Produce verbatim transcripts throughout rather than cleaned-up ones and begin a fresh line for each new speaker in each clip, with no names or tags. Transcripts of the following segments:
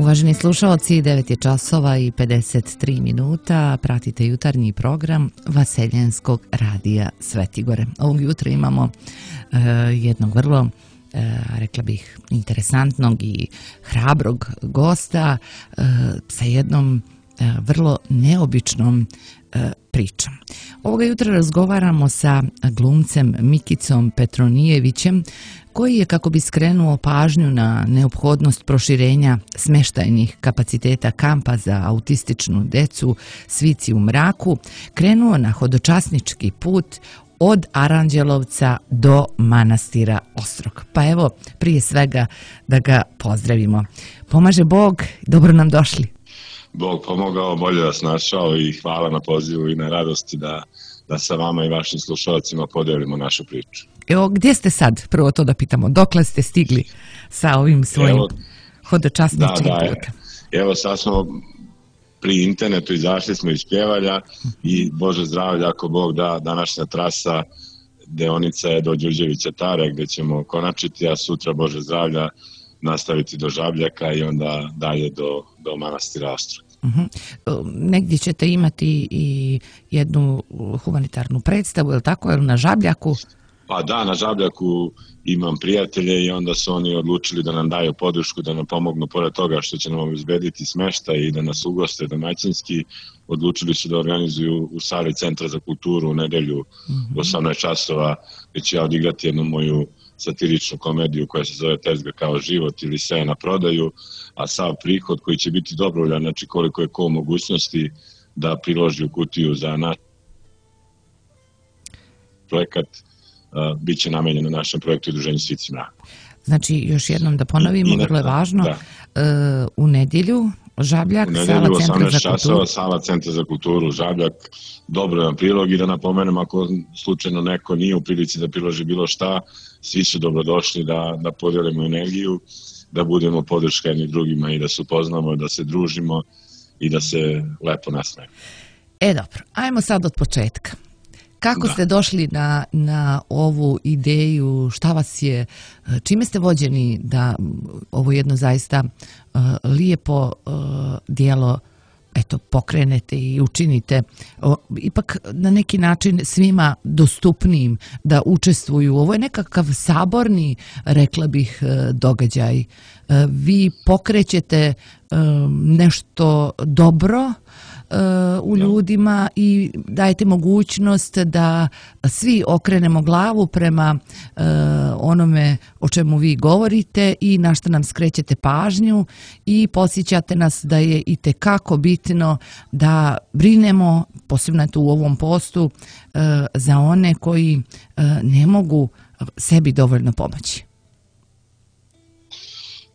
Uvaženi slušalci, devet je časova i pedeset tri minuta, pratite jutarnji program Vaseljenskog radija Svetigore. Ovog jutra imamo uh, jednog vrlo, uh, rekla bih, interesantnog i hrabrog gosta uh, sa jednom uh, vrlo neobičnom uh, pričom. Ovoga jutra razgovaramo sa glumcem Mikicom Petronijevićem, koji je, kako bi skrenuo pažnju na neophodnost proširenja smeštajnih kapaciteta kampa za autističnu decu Svici u mraku, krenuo na hodočasnički put od Aranđelovca do manastira Ostrog. Pa evo, prije svega da ga pozdravimo. Pomaže Bog, dobro nam došli.
Bog pomogao, bolje vas našao i hvala na pozivu i na radosti da, da sa vama i vašim slušalcima podelimo našu priču.
Evo, gdje ste sad? Prvo to da pitamo. Dokle ste stigli sa ovim svojim evo, hodočasničkim
da, da,
putem?
Evo, sad smo pri internetu, izašli smo iz Pjevalja i Bože zdravlja, ako Bog da, današnja trasa deonica je do Đurđevića Tare, gdje ćemo konačiti, a sutra, Bože zdravlja, nastaviti do Žabljaka i onda dalje do, do manastira Ostrog.
Uh-huh. Negdje ćete imati i jednu humanitarnu predstavu, je li tako, je li na Žabljaku?
Pa da, na Žabljaku imam prijatelje i onda su oni odlučili da nam daju podršku, da nam pomognu, pored toga što će nam obezbediti smeštaj i da nas ugoste domaćinski, odlučili su da organizuju u sali Centra za kulturu u nedelju mm-hmm. u osamnaest časova, gdje ću ja odigrati jednu moju satiričnu komediju koja se zove Tezga kao život ili Sve na prodaju, a sav prihod koji će biti dobrovoljan, znači koliko je ko mogućnosti da priloži u kutiju za naš projekat, Uh, bit će namenjen na našem projektu Udruženju Svici mrak.
Znači, još jednom da ponovimo, vrlo je važno, da. uh, u nedjelju Žabljak,
u nedjelju,
sala Centra za
časova,
kulturu.
Sala Centra za kulturu, Žabljak, dobro je prilog i da napomenem, ako slučajno neko nije u prilici da priloži bilo šta, svi su dobrodošli da, da podijelimo energiju, da budemo podrška jedni drugima i da se upoznamo, da se družimo i da se lepo nasmejemo.
E dobro, ajmo sad od početka. Kako
da.
ste došli na, na ovu ideju, šta vas je, čime ste vođeni da ovo jedno zaista uh, lijepo uh, dijelo eto, pokrenete i učinite o, ipak na neki način svima dostupnijim da učestvuju. Ovo je nekakav saborni, rekla bih, događaj. Vi pokrećete um, nešto dobro u ljudima i dajete mogućnost da svi okrenemo glavu prema uh, onome o čemu vi govorite i na što nam skrećete pažnju i podsjećate nas da je itekako bitno da brinemo, posebno tu u ovom postu, uh, za one koji uh, ne mogu sebi dovoljno pomoći.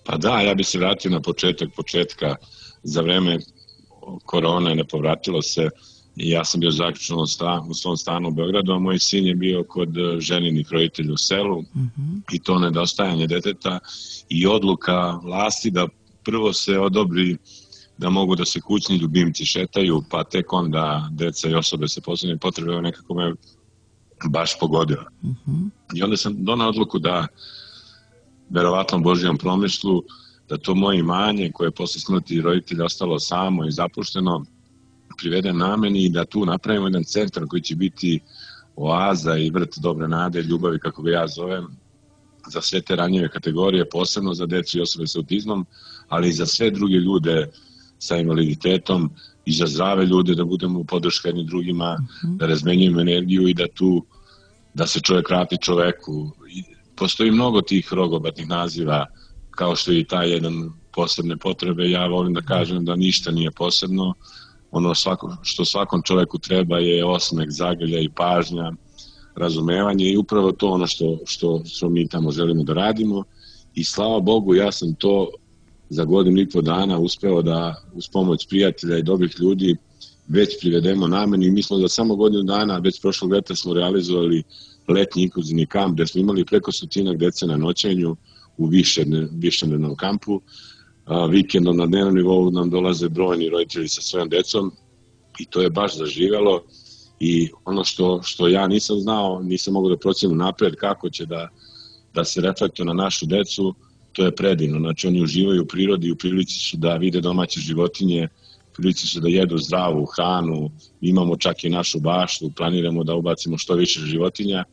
Pa da, ja bih se vratio na početak početka za vreme korona, ne povratilo se i ja sam bio zaključan u, stan, u svom stanu u Beogradu, a moj sin je bio kod ženinih roditelja u selu mm-hmm. i to nedostajanje deteta i odluka vlasti da prvo se odobri da mogu da se kućni ljubimci šetaju, pa tek onda deca i osobe sa posebnim potrebama nekako me baš pogodila. Mm-hmm. I onda sam donao odluku da verovatno Božijom promislu da to moje imanje koje je posle smrti roditelja ostalo samo i zapušteno privede nameni i da tu napravimo jedan centar koji će biti oaza i vrt dobre nade, ljubavi, kako ga ja zovem, za sve te ranjive kategorije, posebno za decu i osobe sa autizmom, ali i za sve druge ljude sa invaliditetom i za zdrave ljude, da budemo podrška jednim drugima, mm-hmm. da razmenjujemo energiju i da tu, da se čovjek vrati čoveku. I postoji mnogo tih rogobatnih naziva, kao što je i taj jedan posebne potrebe. Ja volim da kažem da ništa nije posebno. Ono svako, što svakom čoveku treba je osmeh, zagrlja i pažnja, razumevanje i upravo to ono što, što, što mi tamo želimo da radimo. I slava Bogu, ja sam to za godinu i po dana uspeo da uz pomoć prijatelja i dobrih ljudi već privedemo nameni. Mi smo za samo godinu dana, već prošlog leta smo realizovali letnji inkluzivni kamp gde smo imali preko stotinak dece na noćenju u višednevnom kampu. A, vikendom na dnevnom nivou nam dolaze brojni roditelji sa svojom decom i to je baš zaživelo i ono što, što ja nisam znao, nisam mogao da procenim napred kako će da, da se reflektuje na našu decu, to je predivno. Znači oni uživaju u prirodi, u prilici su da vide domaće životinje, u prilici su da jedu zdravu hranu, imamo čak i našu baštu, planiramo da ubacimo što više životinja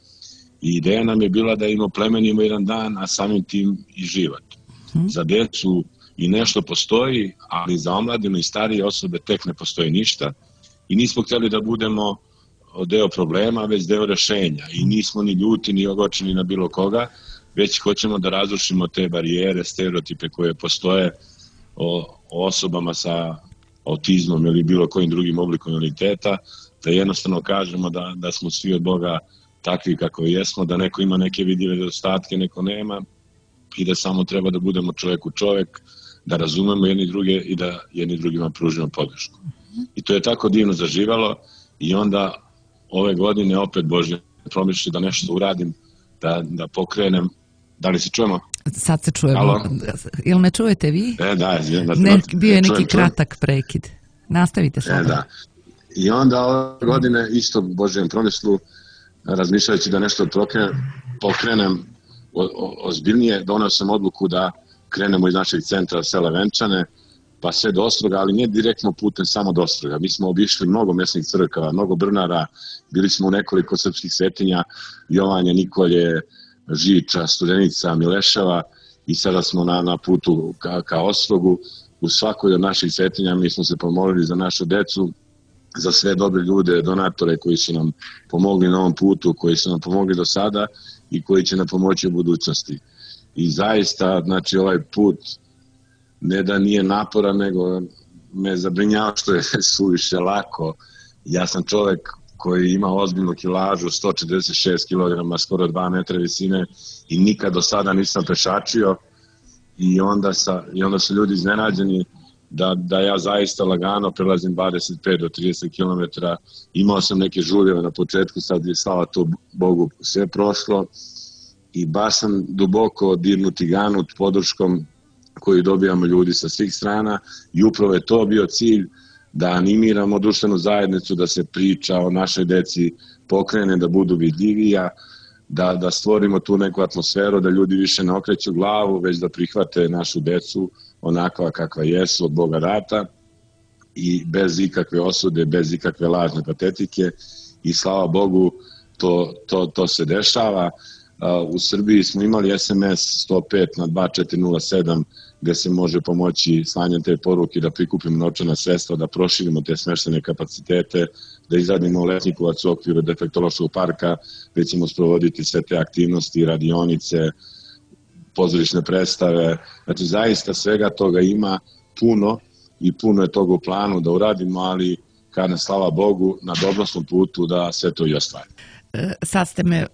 i ideja nam je bila da im oplemenimo jedan dan, a samim tim i život. Hmm. Za decu i nešto postoji, ali za omladinu i starije osobe tek ne postoji ništa i nismo htjeli da budemo deo problema, već deo rešenja i nismo ni ljuti, ni ogorčeni na bilo koga, već hoćemo da razrušimo te barijere, stereotipe koje postoje o, o osobama sa autizmom ili bilo kojim drugim oblikom invaliditeta, da jednostavno kažemo da, da smo svi od Boga takvi kako jesmo, da neko ima neke vidljive nedostatke, neko nema i da samo treba da budemo čovjek u čovjek, da razumemo jedni druge i da jedni drugima pružimo podršku. I to je tako divno zaživalo i onda ove godine opet Božje promišlji da nešto uradim, da, da pokrenem. Da li se čujemo?
Sad se čujemo. Halo? Jel me čujete vi?
E, da, da
ne, bio je neki čujem, kratak čujem. prekid. Nastavite sada.
E, da. I onda ove godine isto Božjem promislu, razmišljajući da nešto pokrenem o, o, ozbiljnije, donao sam odluku da krenemo iz našeg centra sela Venčane, pa sve do Ostroga, ali ne direktno putem samo do Ostroga. Mi smo obišli mnogo mjesnih crkava, mnogo brnara, bili smo u nekoliko srpskih svetinja, Jovanje, Nikolje, Žiča, Studenica, Mileševa i sada smo na, na putu ka, ka Ostrogu. U svakoj od naših svetinja mi smo se pomolili za našu decu, za sve dobre ljude, donatore koji su nam pomogli na ovom putu, koji su nam pomogli do sada i koji će nam pomoći u budućnosti. I zaista, znači, ovaj put ne da nije naporan, nego me zabrinjava što je suviše lako. Ja sam čovjek koji ima ozbiljnu kilažu, sto četrdeset šest kilograma, skoro dva metra visine i nikad do sada nisam pešačio i onda, sa, i onda su ljudi iznenađeni da, da ja zaista lagano prelazim dvadeset pet do trideset kilometara. Imao sam neke žuljeve na početku, sad je slava to Bogu sve prošlo i baš sam duboko dirnut i ganut podrškom koju dobijamo ljudi sa svih strana i upravo je to bio cilj da animiramo društvenu zajednicu, da se priča o našoj deci pokrene, da budu vidljivija, da, da stvorimo tu neku atmosferu, da ljudi više ne okreću glavu, već da prihvate našu decu onakva kakva jesu od Boga data i bez ikakve osude, bez ikakve lažne patetike i slava Bogu to, to, to se dešava. U Srbiji smo imali es em es sto pet na dva četiri nula sedam gde se može pomoći slanjem te poruke da prikupimo novčana sredstva, da proširimo te smještene kapacitete, da izradimo letnikovac u okviru defektološkog parka, gde ćemo sprovoditi sve te aktivnosti, radionice, pozorišne predstave. Znači zaista svega toga ima puno i puno je toga u planu da uradimo, ali kad ne slava Bogu na dobrom smo putu da sve to i ostvarimo.
Sad ste me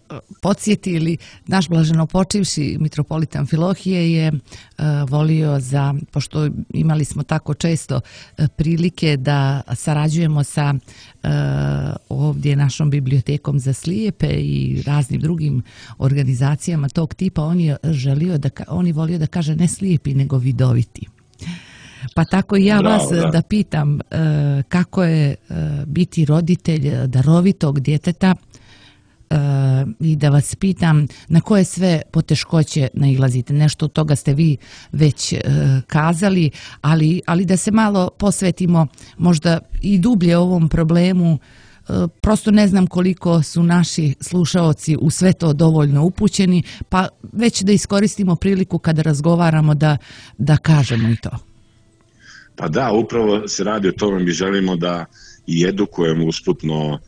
podsjetili, naš blaženopočivši mitropolitan Amfilohije je uh, volio za, pošto imali smo tako često uh, prilike da sarađujemo sa uh, ovdje našom bibliotekom za slijepe i raznim drugim organizacijama tog tipa, on je želio da, on je volio da kaže ne slijepi nego vidoviti. Pa tako i ja Bravo, vas da, da pitam uh, kako je uh, biti roditelj darovitog djeteta. Uh, i da vas pitam na koje sve poteškoće nailazite. Nešto od toga ste vi već uh, kazali, ali, ali da se malo posvetimo možda i dublje ovom problemu. Uh, prosto ne znam koliko su naši slušaoci u sve to dovoljno upućeni, pa već da iskoristimo priliku kada razgovaramo da, da kažemo i to.
Pa da, upravo se radi o tome, mi želimo da i edukujemo usputno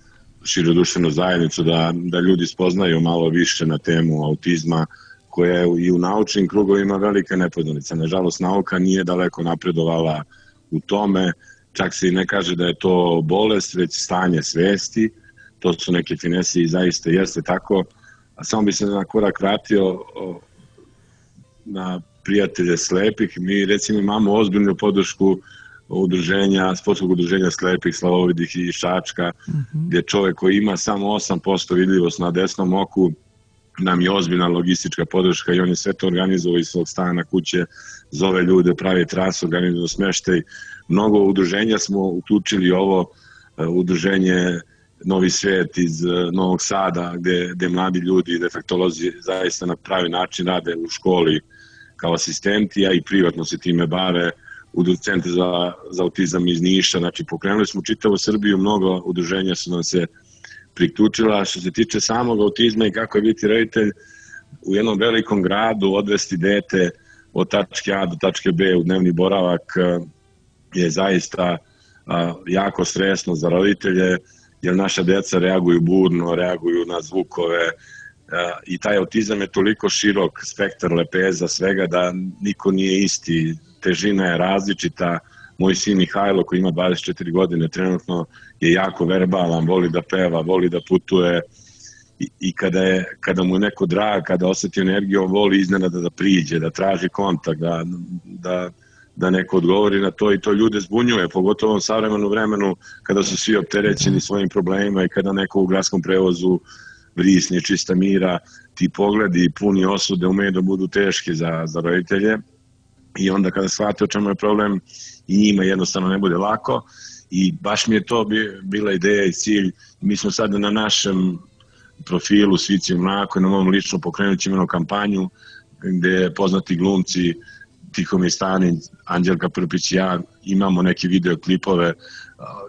širu društvenu zajednicu, da, da ljudi spoznaju malo više na temu autizma, koja je i u naučnim krugovima velika nepoznanica. Nažalost, nauka nije daleko napredovala u tome, čak se i ne kaže da je to bolest, već stanje svesti, to su neke finese i zaista jeste tako. A samo bi se na korak vratio na prijatelje slepih. Mi recimo imamo ozbiljnu podršku udruženja, sportskog udruženja slepih, slavovidih i Šačka, mm-hmm. gdje čovjek koji ima samo osam posto vidljivost na desnom oku, nam je ozbiljna logistička podrška i on je sve to organizovao iz svog stana kuće, zove ljude, pravi trasu, organizuje smještaj. Mnogo udruženja smo uključili ovo udruženje Novi svijet iz Novog Sada, gdje, gdje mladi ljudi, defektolozi zaista na pravi način rade u školi kao asistenti, a i privatno se time bave u Centru za, za autizam iz Niša. Znači, pokrenuli smo čitavu Srbiju, mnogo udruženja su nam se priključila. Što se tiče samog autizma i kako je biti roditelj u jednom velikom gradu, odvesti dete od tačke A do tačke B u dnevni boravak je zaista jako stresno za roditelje, jer naša deca reaguju burno, reaguju na zvukove i taj autizam je toliko širok spektar lepeza svega da niko nije isti, težina je različita. Moj sin Mihajlo koji ima dvadeset četiri godine trenutno je jako verbalan, voli da peva, voli da putuje i, i kada, je, kada mu je neko drag, kada osjeti energiju, on voli iznenada da priđe, da traži kontakt, da, da, da neko odgovori na to i to ljude zbunjuje, pogotovo u savremenom vremenu kada su svi opterećeni svojim problemima i kada neko u gradskom prevozu vrisne, čista mira, ti pogledi puni osude umeju da budu teški za, za roditelje i onda kada shvate o čemu je problem i njima jednostavno ne bude lako i baš mi je to bila ideja i cilj. Mi smo sada na našem profilu Svici u mraku i na mom lično pokrenut ćemo kampanju gde poznati glumci Tihomir Stanić, Anđelka Prpić i ja imamo neke videoklipove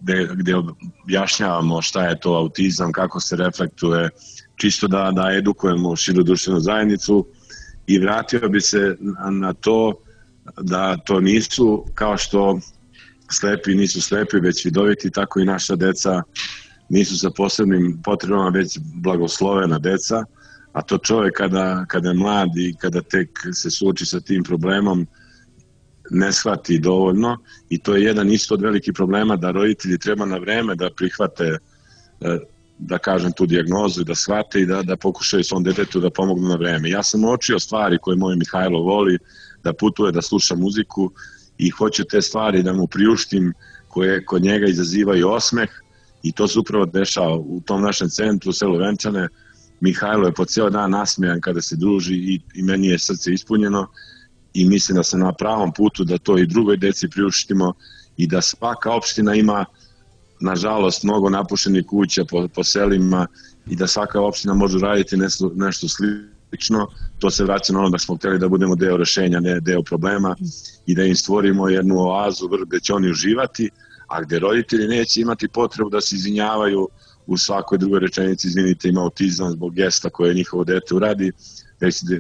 gde, gde objašnjavamo šta je to autizam, kako se reflektuje, čisto da, da edukujemo širu društvenu zajednicu i vratio bi se na, na to da to nisu kao što slepi nisu slepi, već vidoviti, tako i naša deca nisu sa posebnim potrebama, već blagoslovena deca, a to čovjek kada, kada je mlad i kada tek se suoči sa tim problemom ne shvati dovoljno i to je jedan isto od velikih problema da roditelji treba na vreme da prihvate, da kažem, tu dijagnozu i da shvate i da, da pokušaju svom detetu da pomognu na vreme. Ja sam uočio stvari koje moj Mihajlo voli, da putuje, da sluša muziku i hoću te stvari da mu priuštim koje kod njega izazivaju osmeh i to se upravo dešava u tom našem centru u selu Venčane. Mihajlo je po cijel dan nasmejan kada se druži i, i meni je srce ispunjeno i mislim da sam na pravom putu da to i drugoj deci priuštimo i da svaka opština ima nažalost mnogo napušenih kuća po, po selima i da svaka opština može raditi nešto, nešto slično. To se vraća na ono da smo htjeli da budemo deo rešenja, ne deo problema i da im stvorimo jednu oazu gde će oni uživati, a gde roditelji neće imati potrebu da se izvinjavaju u svakoj drugoj rečenici, izvinite, ima autizam zbog gesta koje njihovo dete uradi,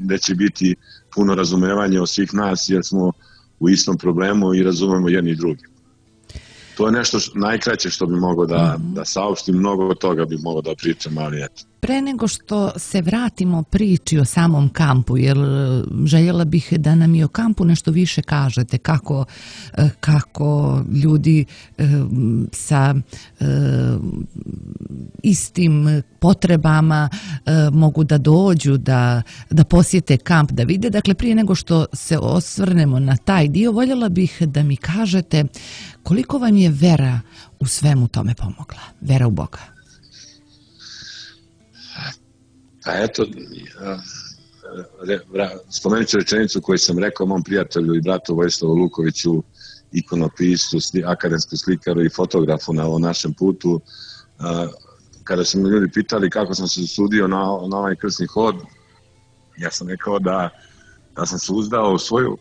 gde će biti puno razumevanja od svih nas jer smo u istom problemu i razumemo jedni i drugi. To je nešto što, najkraće što bi mogao da, da saopštim, mnogo toga bi mogao da pričam, ali eto.
Pre nego što se vratimo priči o samom kampu, jer željela bih da nam i o kampu nešto više kažete, kako, kako ljudi sa istim potrebama mogu da dođu, da, da posjete kamp, da vide. Dakle, prije nego što se osvrnemo na taj dio, voljela bih da mi kažete koliko vam je vera u svemu tome pomogla, vera u Boga.
Pa eto, spomenut ću rečenicu koju sam rekao mom prijatelju i bratu Vojislavu Lukoviću, ikonopistu, akademskom slikaru i fotografu na ovom našem putu. Kada su mi ljudi pitali kako sam se usudio na, na ovaj krsni hod, ja sam rekao da, da sam se uzdao u svoju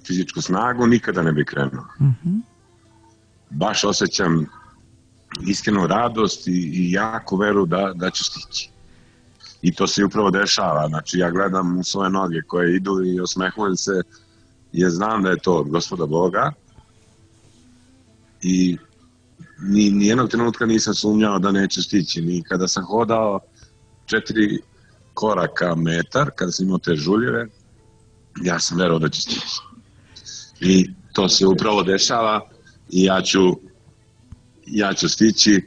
fizičku snagu, nikada ne bi krenuo. Mm-hmm. Baš osjećam iskrenu radost i, i jaku veru da, da ću stići. I to se upravo dešava. Znači, ja gledam u svoje noge koje idu i osmehujem se jer znam da je to od Gospoda Boga i ni, ni jednog trenutka nisam sumnjao da neću stići. Ni kada sam hodao četiri koraka metar, kada sam imao te žuljeve, ja sam verovao da ću stići. I to se upravo dešava i ja ću ja ću stići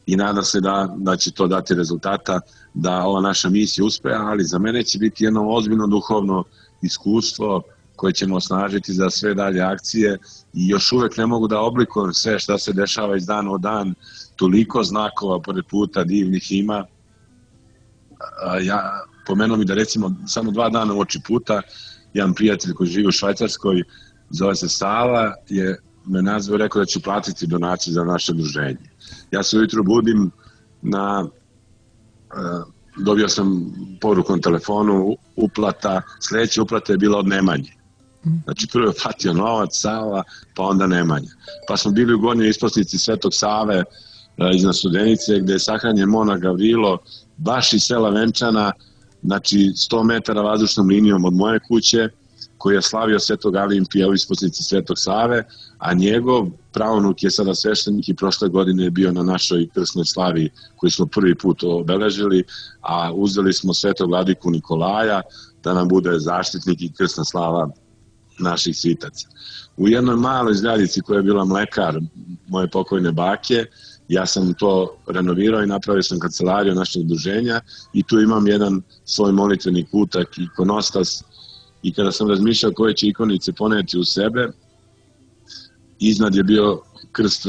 i nadam se da, da će to dati rezultata, da ova naša misija uspe, ali za mene će biti jedno ozbiljno duhovno iskustvo koje ćemo osnažiti za sve dalje akcije i još uvek ne mogu da oblikujem sve šta se dešava iz dana u dan, toliko znakova pored puta divnih ima. Ja pomenuo mi da recimo samo dva dana u oči puta, jedan prijatelj koji živi u Švajcarskoj, zove se Sala, je me nazvao i rekao da ću platiti donaciju za naše udruženje. Ja se ujutro budim na, dobio sam poruku na telefonu, uplata, sledeća uplata je bila od Nemanje. Znači prvo je platio novac, Sava, pa onda Nemanja. Pa smo bili u gornjoj isposnici Svetog Save iznad Studenice, gde je sahranjen monah Gavrilo, baš iz sela Venčana, znači sto metara vazdušnom linijom od moje kuće, koji je slavio Svetog Alimpija u isposnici Svetog Save, a njegov pravnuk je sada sveštenik i prošle godine je bio na našoj krsnoj slavi koju smo prvi put obeležili, a uzeli smo Svetog vladiku Nikolaja da nam bude zaštitnik i krsna slava naših svitaca. U jednoj maloj zgradici koja je bila mlekar moje pokojne bake, ja sam to renovirao i napravio sam kancelariju našeg udruženja i tu imam jedan svoj molitveni kutak, ikonostas, i kada sam razmišljao koje će ikonice poneti u sebe, iznad je bio krst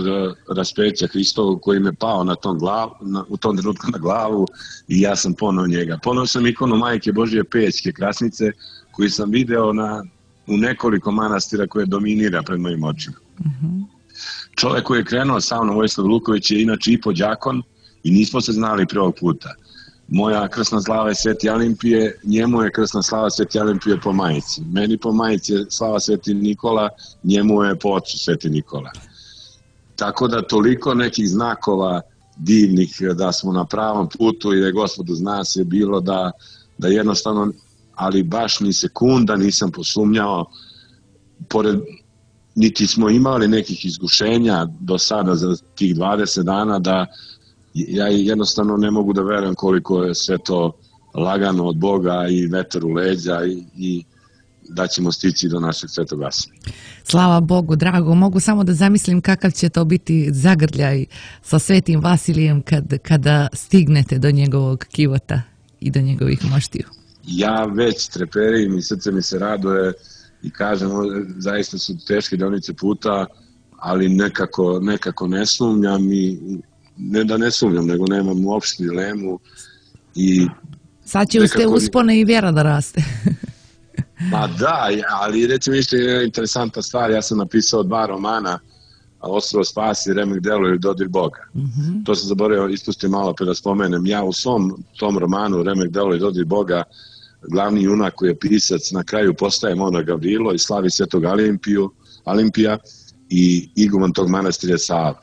raspeća Hristovog koji me pao na tom glavu, na, u tom trenutku na glavu i ja sam ponao njega. Ponao sam ikonu Majke Božije Pećke Krasnice koju sam video na, u nekoliko manastira koje dominira pred mojim očima. Mm-hmm. Čovek koji je krenuo sa mnom, Vojislav Luković, je inače i podjakon i nismo se znali prvog puta. Moja krsna slava je Sveti Alimpije, njemu je krsna slava Sveti Alimpije po majici. Meni po majici je slava Sveti Nikola, njemu je po ocu Sveti Nikola. Tako da toliko nekih znakova divnih da smo na pravom putu i da je Gospod uz nas je bilo da, da jednostavno, ali baš ni sekunda nisam posumnjao, pored, niti smo imali nekih iskušenja do sada za tih dvadeset dana da ja jednostavno ne mogu da verujem koliko je sve to lagano od Boga i vetar u leđa i, i da ćemo stići do našeg Svetog Vasilija.
Slava Bogu, drago. Mogu samo da zamislim kakav će to biti zagrljaj sa Svetim Vasilijem kad, kada stignete do njegovog kivota i do njegovih moštiju.
Ja već treperim i srce mi se raduje i kažem, zaista su teške deonice puta, ali nekako, nekako ne sumnjam i ne da ne sumnjam, nego nemam uopšte dilemu. I
sad će uz te uspone i vjera da raste.
Ma da, ali recimo isto je interesantna stvar, ja sam napisao dva romana, Ostrvo spasi, Remek delo i Dodir Boga. Mm-hmm. To sam zaboravio, ispustio malo pre da spomenem. Ja u svom tom romanu Remek delo i Dodir Boga, glavni junak koji je pisac, na kraju postaje monah Gavrilo i slavi Svetog Alimpiju, Alimpija i iguman tog manastira Sava.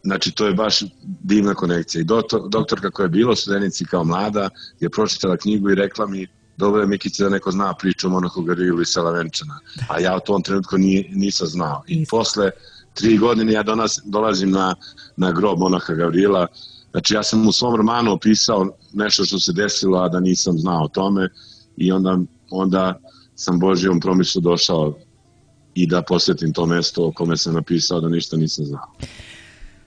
Znači, to je baš divna konekcija. I doktor, doktorka koja je bila u Studenici kao mlada je pročitala knjigu i rekla mi, dobro je Mikić da neko zna priču o monahu Gavrilu iz sela Venčana. A ja u tom trenutku ni, nisam znao. I posle tri godine ja donas, dolazim na, na grob monaha Gavrila. Znači, ja sam u svom romanu opisao nešto što se desilo, a da nisam znao o tome. I onda, onda sam Božijom promišlju došao i da posjetim to mesto o kome sam napisao da ništa nisam znao.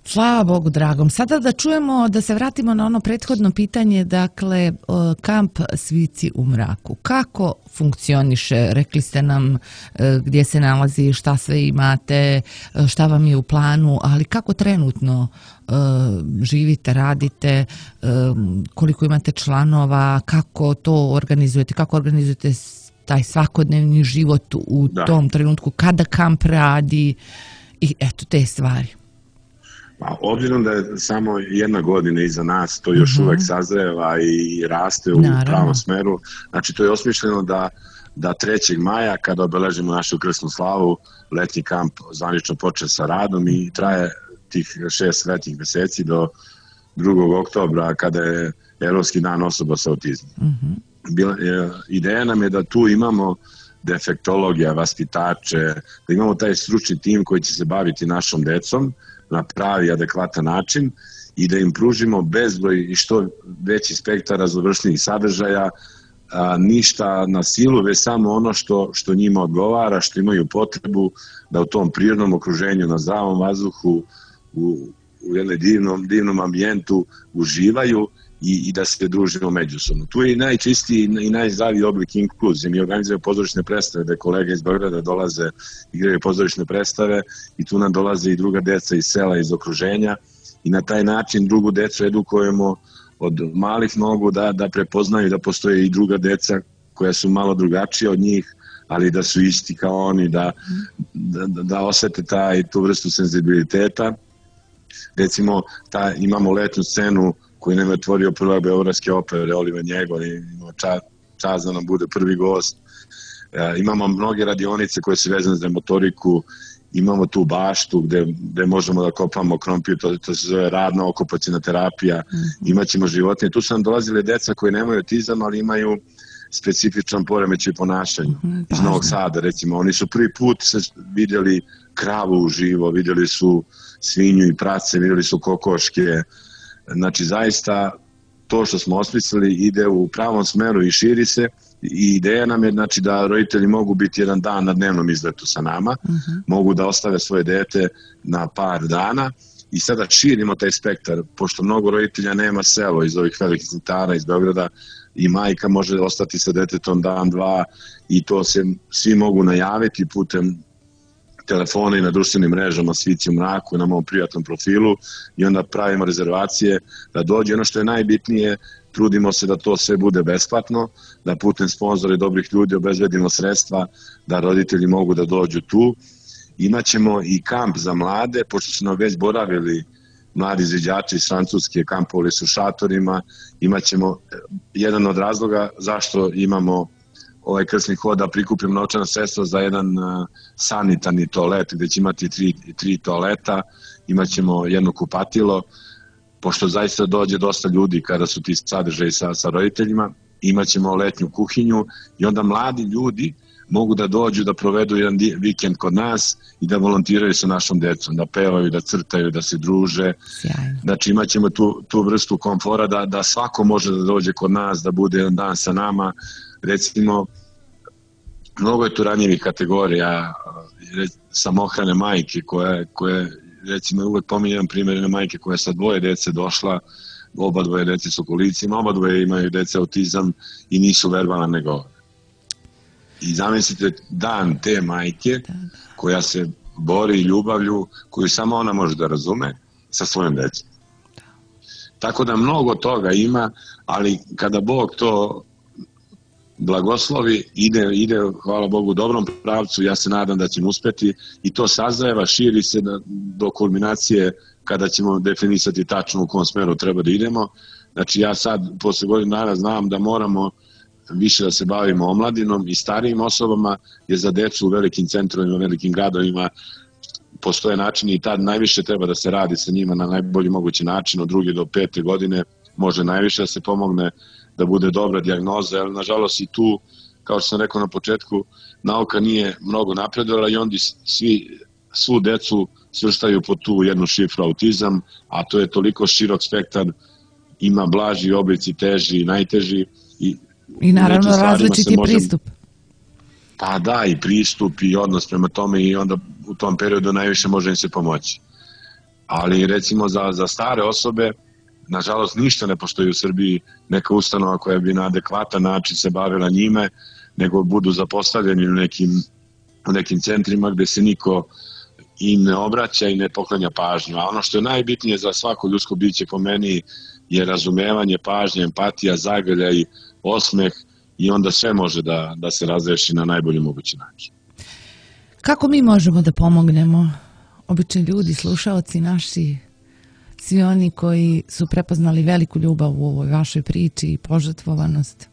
Slava Bogu dragom. Sada da čujemo, da se vratimo na ono prethodno pitanje, dakle, kamp Svici u mraku. Kako funkcioniše? Rekli ste nam gdje se nalazi, šta sve imate, šta vam je u planu, ali kako trenutno živite, radite, koliko imate članova, kako to organizujete, kako organizujete taj svakodnevni život u da. tom trenutku, kada kamp radi i eto te stvari.
Pa, obzirom da je samo jedna godina iza nas, to još mm-hmm. uvek sazreva i raste u Naravno. pravom smeru. Znači, to je osmišljeno da, da trećeg maja, kada obeležimo našu krsnu slavu, letnji kamp zvanično počne sa radom i traje tih šest letnjih meseci do drugog oktobra, kada je Evropski dan osoba sa autizmom. Mm-hmm. Bila, je, ideja nam je da tu imamo defektologija, vaspitače, da imamo taj stručni tim koji će se baviti našom decom na pravi, adekvatan način i da im pružimo bezbroj i što veći spektar raznovrsnih sadržaja, a, ništa na silu, već samo ono što, što njima odgovara, što imaju potrebu da u tom prirodnom okruženju, na zdravom vazduhu, u, u jednom divnom, divnom ambijentu uživaju i, i da se družimo međusobno. Tu je i najčistiji i najzdraviji oblik inkluzije. Mi organizujemo pozorišne predstave gde kolege iz Beograda dolaze, igraju pozorišne predstave i tu nam dolaze i druga deca iz sela, iz okruženja i na taj način drugu decu edukujemo od malih nogu da, da prepoznaju da postoje i druga deca koja su malo drugačija od njih, ali da su isti kao oni, da, da, da osete taj, tu vrstu senzibiliteta. Recimo, ta, imamo letnju scenu koji nam je otvorio prve beogradske opere, Oliver Njegon, imao čast, čast da nam bude prvi gost. E, imamo mnoge radionice koje su vezane za motoriku, imamo tu baštu gde, gde možemo da kopamo krompir, to, to se zove radna okupacijna terapija, mm-hmm. imaćemo životinje. Tu su nam dolazile deca koji nemaju autizam, ali imaju specifičan poremećaj ponašanja. Mm-hmm, iz Novog Sada, recimo. Oni su prvi put se vidjeli kravu uživo, vidjeli su svinju i prace, vidjeli su kokoške. Znači, zaista, to što smo osmislili ide u pravom smeru i širi se. I ideja nam je, znači, da roditelji mogu biti jedan dan na dnevnom izletu sa nama, uh-huh. mogu da ostave svoje dete na par dana i sada širimo taj spektar, pošto mnogo roditelja nema selo iz ovih velikih centara iz Beograda i majka može ostati sa detetom dan, dva i to se svi mogu najaviti putem telefona i na društvenim mrežama Svici u mraku na mom prijatnom profilu i onda pravimo rezervacije da dođe. Ono što je najbitnije, trudimo se da to sve bude besplatno, da putem sponzora i dobrih ljudi obezbedimo sredstva da roditelji mogu da dođu tu. Imaćemo i kamp za mlade, pošto su nam već boravili mladi izviđači iz Francuske, kampovali su šatorima. Imaćemo jedan od razloga zašto imamo ovaj krsni hod, da prikupimo novčana sredstva za jedan sanitarni toalet gde će imati tri, tri toaleta, imaćemo jedno kupatilo, pošto zaista dođe dosta ljudi kada su ti sadržaji sa, sa roditeljima, imaćemo letnju kuhinju i onda mladi ljudi mogu da dođu da provedu jedan vikend kod nas i da volontiraju sa našom decom, da pevaju, da crtaju, da se druže. Sjajno. Znači imaćemo tu, tu vrstu komfora da, da svako može da dođe kod nas, da bude jedan dan sa nama. Recimo, mnogo je tu ranjivih kategorija, samohrane majke koje, koje recimo uvek pominjem primjer jedne majke koja je sa dvoje dece došla, oba dvoje dece su u kolicima, oba dvoje imaju dece autizam i nisu verbalna ne govore. I zamislite dan te majke koja se bori ljubavlju koju samo ona može da razume sa svojom decom. Tako da mnogo toga ima, ali kada Bog to blagoslovi, ide, ide, hvala Bogu, u dobrom pravcu, ja se nadam da ćemo uspeti i to sazreva, širi se da, do kulminacije kada ćemo definisati tačno u kom smeru treba da idemo. Znači ja sad, posle godina dana, znam da moramo više da se bavimo omladinom i starijim osobama, jer za decu u velikim centrovima, velikim gradovima postoje načini i tad najviše treba da se radi sa njima na najbolji mogući način, od druge do pete godine može najviše da se pomogne da bude dobra dijagnoza, ali nažalost i tu, kao što sam rekao na početku, nauka nije mnogo napredovala i onda svi, svu decu svrstaju po tu jednu šifru autizam, a to je toliko širok spektar, ima blaži oblici, teži, najteži. I,
I naravno različiti može... pristup.
Pa da, i pristup i odnos prema tome i onda u tom periodu najviše može im se pomoći. Ali recimo za, za stare osobe, nažalost, ništa ne postoji u Srbiji neka ustanova koja bi na adekvatan način se bavila njime, nego budu zapostavljeni u nekim, u nekim centrima gde se niko im ne obraća i ne poklanja pažnju. A ono što je najbitnije za svako ljudsko biće po meni je razumevanje, pažnja, empatija, zagrljaj, osmeh i onda sve može da, da se razreši na najbolji mogući način.
Kako mi možemo da pomognemo, obični ljudi, slušaoci naši, svi oni koji su prepoznali veliku ljubav u ovoj vašoj priči i požrtvovanost?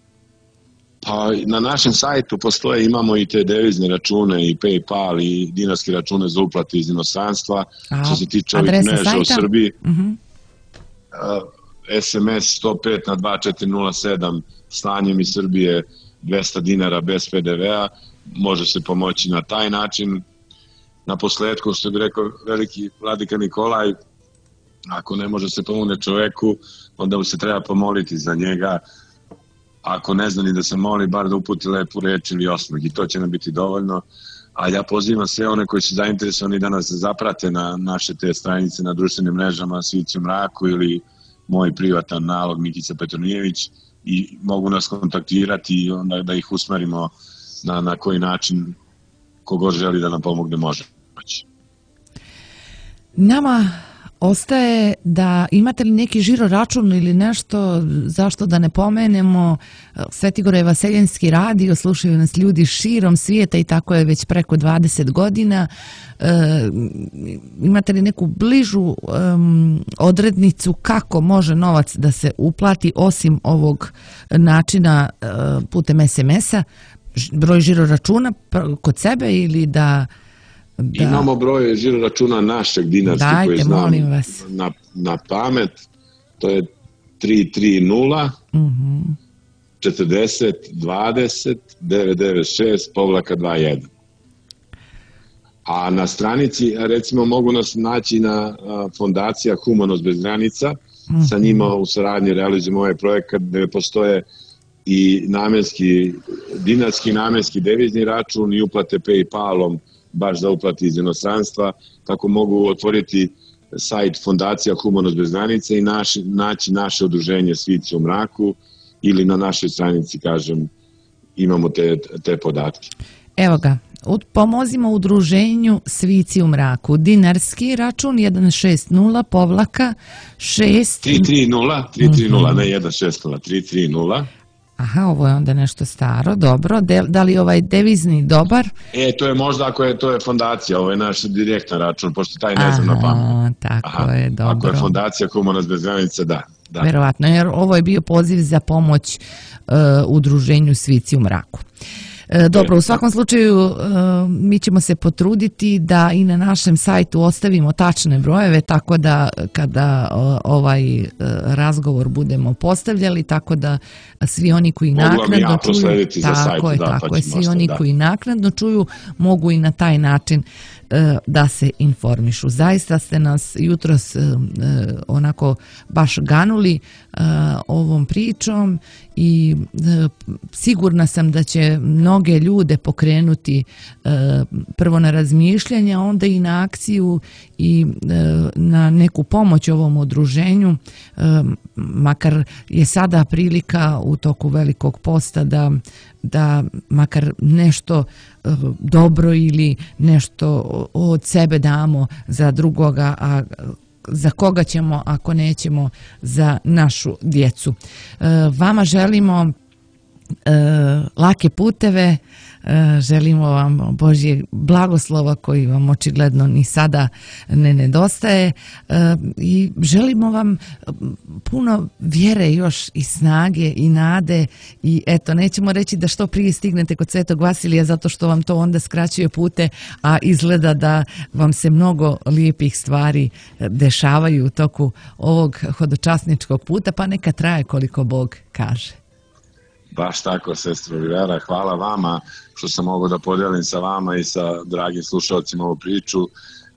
Pa na našem sajtu postoje, imamo i te devizne račune i PayPal i dinarske račune za uplate iz inostranstva. A, što se tiče ovih mreža sajta? U Srbiji, uh-huh. S M S sto pet na dva četiri nula sedam slanjem iz Srbije dvesta dinara bez P D V-a, može se pomoći na taj način. Na posledku, što bi rekao veliki vladika Nikolaj, ako ne može se pomogne čoveku, onda mu se treba pomoliti za njega. Ako ne zna ni da se moli, bar da uputi lepu reč ili osmeh i to će nam biti dovoljno. A ja pozivam sve one koji su zainteresovani da nas zaprate na naše te stranice na društvenim mrežama Svici u mraku ili moj privatan nalog Mikica Petronijević i mogu nas kontaktirati i onda da ih usmerimo na, na koji način kogod želi da nam pomogne može.
Nama ostaje da imate li neki žiro račun ili nešto, zašto da ne pomenemo, Svetigoraj Vaseljenski radio, slušaju nas ljudi širom svijeta i tako je već preko dvadeset godina. E, imate li neku bližu um, odrednicu kako može novac da se uplati osim ovog načina uh, putem es em es-a, broj žiro računa kod sebe ili da... Da.
Imamo broj žiro računa našeg dinarski koji znam na, na pamet, to je tri tri nula četrdeset dvadeset devet devet šest povlaka dva jedan. A na stranici, recimo, mogu nas naći na fondacija Humanost bez granica, mm-hmm. sa njima u saradnji realizujemo ovaj projekat gde postoje i namenski, dinarski namenski devizni račun i uplate PayPalom baš za uplati iz inostranstva, tako mogu otvoriti sajt Fondacija Humanost bez granice i naši, naći naše udruženje Svici u mraku ili na našoj stranici, kažem, imamo te, te podatke.
Evo ga, pomozimo udruženju Svici u mraku. Dinarski račun jedan šest nula povlaka šest...
tri tri nula, tri tri nula, ne jedan šest nula, tri tri nula.
Aha, ovo je onda nešto staro, dobro. De, da li ovaj devizni dobar?
E, to je možda ako je, to je fondacija, ovo je naš direktan račun, pošto taj ne znam na pamet.
Tako Aha, je, dobro.
Ako je fondacija Humanost bez granica, da. da.
Verovatno, jer ovo je bio poziv za pomoć uh, udruženju Svici u mraku. Dobro, u svakom slučaju mi ćemo se potruditi da i na našem sajtu ostavimo tačne brojeve, tako da kada ovaj razgovor budemo postavljali, tako da svi oni koji naknadno čuju, tako je, tako je, svi oni koji naknadno čuju mogu i na taj način da se informišu. Zaista ste nas jutros onako baš ganuli ovom pričom i sigurna sam da će mnoge ljude pokrenuti prvo na razmišljanje, a onda i na akciju i na neku pomoć ovom udruženju, makar je sada prilika u toku Velikog posta da da makar nešto dobro ili nešto od sebe damo za drugoga, a za koga ćemo ako nećemo za našu djecu. Vama želimo lake puteve, želimo vam Božje blagoslova koji vam očigledno ni sada ne nedostaje i želimo vam puno vjere još i snage i nade i eto, nećemo reći da što prije stignete kod Svetog Vasilija zato što vam to onda skraćuje pute, a izgleda da vam se mnogo lijepih stvari dešavaju u toku ovog hodočasničkog puta, pa neka traje koliko Bog kaže.
Baš tako, sestro Olivera, hvala vama što sam mogao da podijelim sa vama i sa dragim slušalcima ovu priču.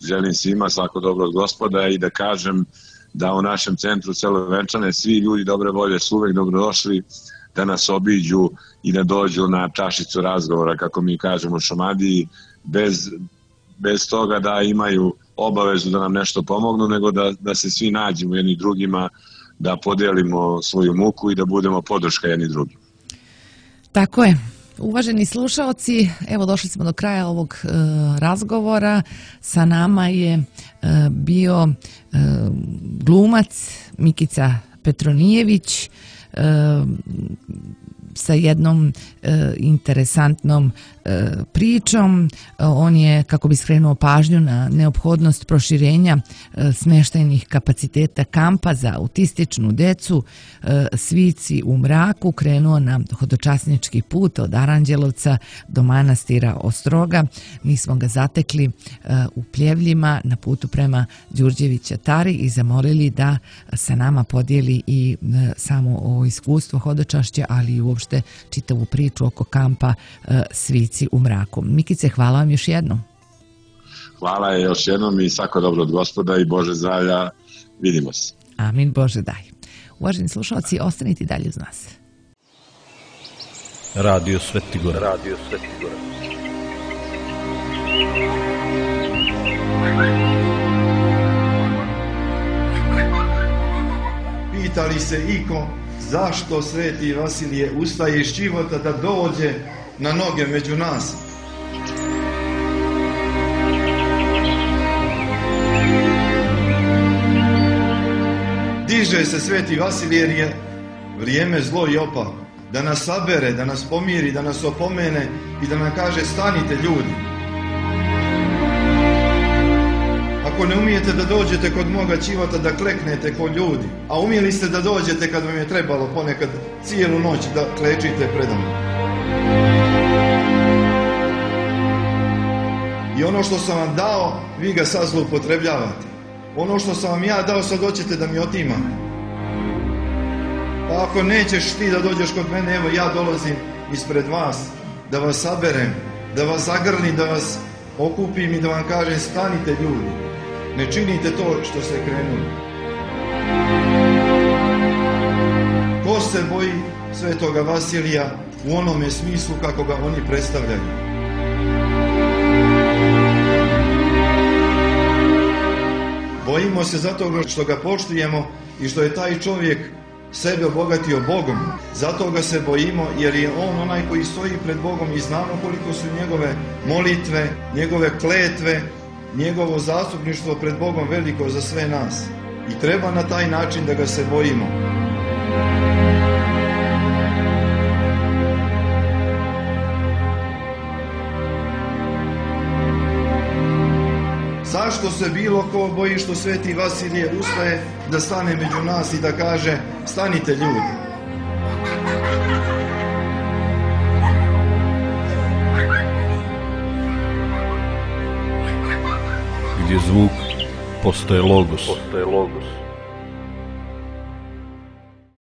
Želim svima svako dobro od Gospoda i da kažem da u našem centru Selo Venčane svi ljudi dobre volje su uvek dobrodošli da nas obiđu i da dođu na čašicu razgovora, kako mi kažemo u Šumadiji, bez, bez toga da imaju obavezu da nam nešto pomognu, nego da, da se svi nađemo jedni drugima, da podijelimo svoju muku i da budemo podrška jedni drugima.
Tako je. Uvaženi slušaoci, evo došli smo do kraja ovog e, razgovora. Sa nama je e, bio e, glumac Mikica Petronijević e, sa jednom e, interesantnom e, pričom. On je, kako bi skrenuo pažnju na neophodnost proširenja e, smještajnih kapaciteta kampa za autističnu decu, e, Svici u mraku, krenuo na hodočasnički put od Aranđelovca do manastira Ostroga. Mi smo ga zatekli e, u Pljevljima na putu prema Đurđevića Tari i zamolili da sa nama podijeli i e, samo ovo iskustvo hodočašća, ali i uopšte čitavu priču oko kampa e, Svici u mraku. Mikice, hvala vam još jednom.
Hvala je još jednom i svako dobro od Gospoda i Bože zdravlja. Vidimo se.
Amin, Bože daj. Uvaženi slušalci, ostanite dalje uz nas.
Radio Svetigora. Radio Svetigora.
Pita li se iko zašto Sveti Vasilije ustaje iz života da dođe na noge među nas? Stiže se Sveti Vasilije jer je vrijeme zlo i opako. Da nas sabere, da nas pomiri, da nas opomene i da nam kaže stanite ljudi. Ako ne umijete da dođete kod moga ćivota da kleknete kod ljudi, a umjeli ste da dođete kad vam je trebalo ponekad cijelu noć da klečite predom. I ono što sam vam dao, vi ga sad zloupotrebljavate. Ono što sam vam ja dao, sad hoćete da mi otimate. Pa ako nećeš ti da dođeš kod mene, evo ja dolazim ispred vas, da vas saberem, da vas zagrlim, da vas okupim i da vam kažem stanite ljudi. Ne činite to što ste krenuli. Ko se boji Svetoga Vasilija u onome smislu kako ga oni predstavljaju? Bojimo se zato što ga poštujemo i što je taj čovjek sebe obogatio Bogom. Zato ga se bojimo jer je on onaj koji stoji pred Bogom i znamo koliko su njegove molitve, njegove kletve, njegovo zastupništvo pred Bogom veliko za sve nas. I treba na taj način da ga se bojimo. Zašto se bilo ko boji što Sveti Vasilije ustaje da stane među nas i da kaže stanite ljudi?
Gdje zvuk postaje logos. Postaje logos.